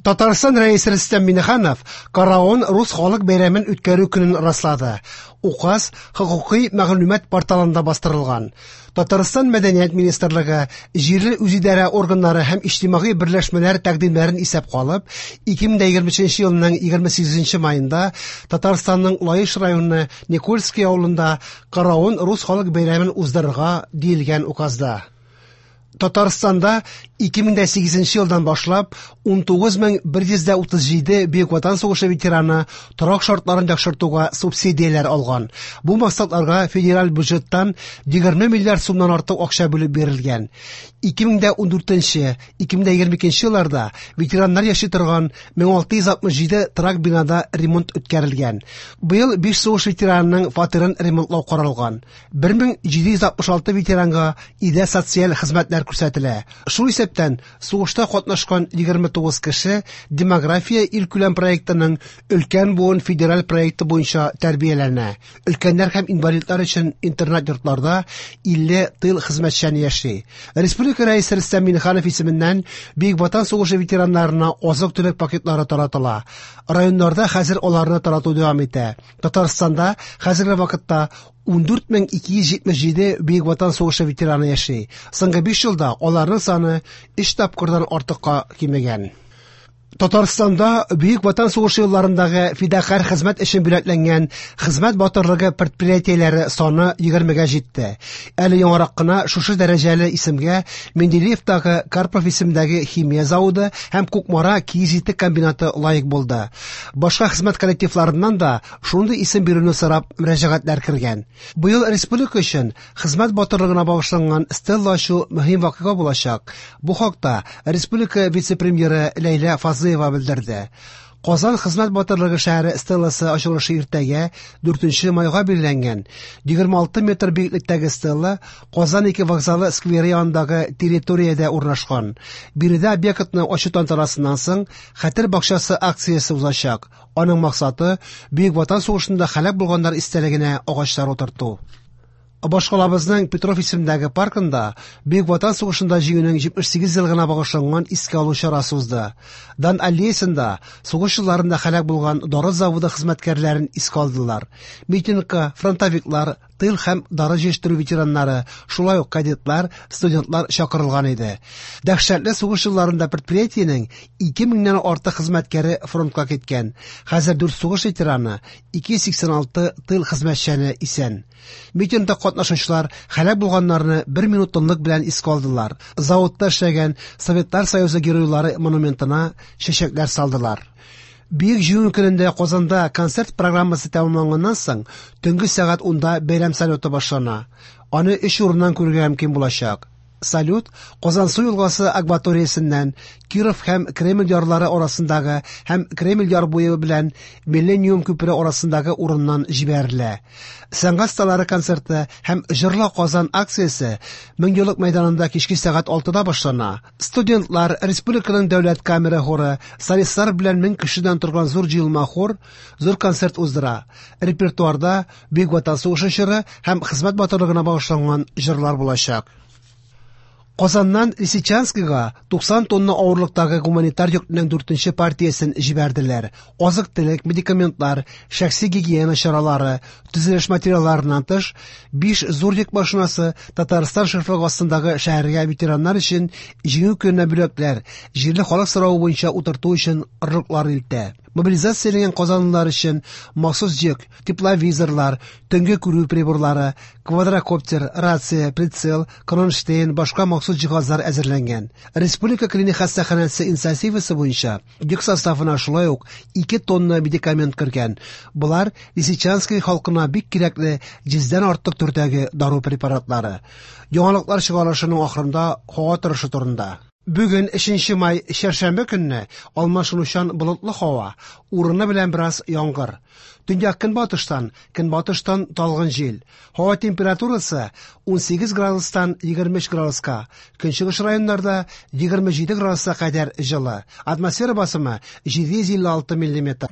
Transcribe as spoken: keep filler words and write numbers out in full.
Татарстан Рәисе Рөстәм Миңнеханов Караон рус халык бәйрәмен үткәрү көнен раслады. Указ хокукый мәгълүмат порталында бастырылган. Татарстан Мәдәният министрлыгы, җирле үзидарә органнары һәм иҗтимагый берләшмәләр тәкъдимнәрен исәпкә алып, ике мең дә егерме өченче елның егерме сигезенче маенда Татарстанның Лаеш районы Никольский авылында Караон рус халык бәйрәмен уздырырга диелгән указда. Татарстанда ике мең дә сигезенче елдан башлап ун тугыз мең бер йөз дә утыз җиде Бөек Ватан сугышы ветераны торак шартларын яхшыртуга субсидияләр алган. Бу максатларга федераль бюджеттан егерме миллиард сумнан артык акча бүлеп бирелгән. Ике мең дә ундүртенче, ике мең дә егерме икенче елларда ветераннар яши торган мең алты йөз алтмыш җиде торак бинада ремонт үткәрелгән. Быел биш сугыш ветеранының фатирын ремонтлау каралган. Бер мең җиде йөз алтмыш алты ветеранга өйдә социаль хезмәтләр күрсәтелә. Шул исәптән сугышта катнашкан егерме тугыз кеше демография илкүләм проектының өлкән буын федераль проекты буенча тәрбияләнә. Өлкәннәр һәм инвалидлар өчен интернат йортларда илле тыл хезмәтчәне яши. Республика Рәисе Рөстәм Миңнеханов исеменнән Бөек Ватан сугышы ветераннарына азык-төлек пакетлары таратыла. Районнарда хәзер аларны тарату дәвам итә. Татарстанда хәзерге вакытта ундүрт мең ике йөз җитмеш җиде Бөек Ватан сугышы ветераны яши. Соңгы биш елда аларның саны өч тапкырдан артыкка кимегән. Татарстанда Бөек Ватан сугышы елларындагы фидакарь хезмәт өчен бүләкләнгән хезмәт батырлыгы предприятиеләре саны егермегә җитте. Әле яңарак кына шушы дәрәҗәле исемгә Менделеевтагы Карпов исемендәге химия заводы һәм Кукмара киез итек комбинаты лаек булды. Башка хезмәт коллективларыннан да шундый исем бирүне сорап мөрәҗәгатьләр кергән. Быел республика өчен хезмәт батырлыгына багышланган стелла ачу мөһим вакыйга булачак. Бу хакта республика вице-премьеры Ләйлә Фазлыева белдерде. Казан хезмәт батырлыгы шәһәре стелласы ачылышы иртәгә дүртенче майга билгеләнгән. Егерме алты метр биеклектәге стелла Казан ике вокзалы скверы янындагы территориядә урнашкан. Биредә объектны ачу тантанасыннан соң Хәтер бакчасы акциясе узачак. Аның максаты Бөек Ватан сугышында һәлак булганнар истәлегенә агачлар утырту. Башкалабызның Петров исемендәге паркында Бөек Ватан сугышында җиңүнең җитмеш сигез еллыгына багышланган искә алу чарасы узды. Дан аллеясында сугыш елларында һәлак булган дары заводы хезмәткәрләрен искә алдылар. Митингка фронтовиклар, тыл һәм дары җыештыру ветераннары, шулай ук кадетлар, студентлар чакырылган иде. Дәһшәтле сугыш елларында предприятиенең ике меңнән артык хезмәткәре фронтка киткән. Хәзер дүрт сугыш ветераны, ике йөз сиксән алты тыл хезмәтчәне исән. Митингта катнашучылар һәлак булганнарны бер минут тынлык белән искә алдылар. Заводта эшләгән Советлар Союзы геройлары монументына чәчәкләр салдылар. Бөек Җиңү көнендә Казанда концерт программасы тәмамланганнан соң төнге сәгать унда бәйрәм салюты башлана. Аны өч урыннан күрергә мөмкин булачак. Салют Казансу елгасы акваториясеннән Киров һәм Кремль ярлары арасындагы һәм Кремль яр буе белән Миллениум күпере арасындагы урыннан җибәрелә. Сәнгать осталары концерты һәм Җырла Казан акциясе Меңьеллык мәйданында кичке сәгать алтыда башлана. Студентлар, республиканың дәүләт камера хоры, солистлар белән мең кешедән торган зур җыелма хор зур концерт уздыра. Репертуарда Бөек Ватан сугышы чоры һәм хезмәт батырлыгына багышланган җырлар булачак. Казаннан Лисичанскига туксан тонна авырлыктагы гуманитар йөкнең дүртенче партиясен җибәрделәр. Азык-төлек, медикаментлар, шәхси гигиена чаралары, төзелеш материалларыннан тыш, биш зур йөк машинасы Татарстан шефлыгы астындагы шәһәргә ветераннар өчен Җиңү көненә бүләкләр, җирле халык соравы буенча утырту өчен орлыклар илтә. Мобилизацияләнгән казанлылар өчен махсус йөк, тепловизорлар, төнге күрү приборлары, квадрокоптер, рация, прицел, кронштейн, башка махсус җиһазлар әзерләнгән. Республика клиник хастаханәсе инициативасы буенча йөк составына шулай ук ике тонна медикамент кергән. Болар Лисичанский халкына бик кирәкле йөздән артык төрдәге дару препаратлары. Яңалыклар чыгарылышының ахырында һава торышы турында. Бүген өченче май чәршәмбе көнне алмашынучан болытлы һава, урыны белән бераз яңгыр. Төньяк көнбатыштан, көнбатыштан талгын җил. Һава температурасы ун сигез градустан егерме өч градуска, көнчыгыш районнарда егерме җиде градуска кадәр җылы. Атмосфера басымы җиде йөз илле алты миллиметр.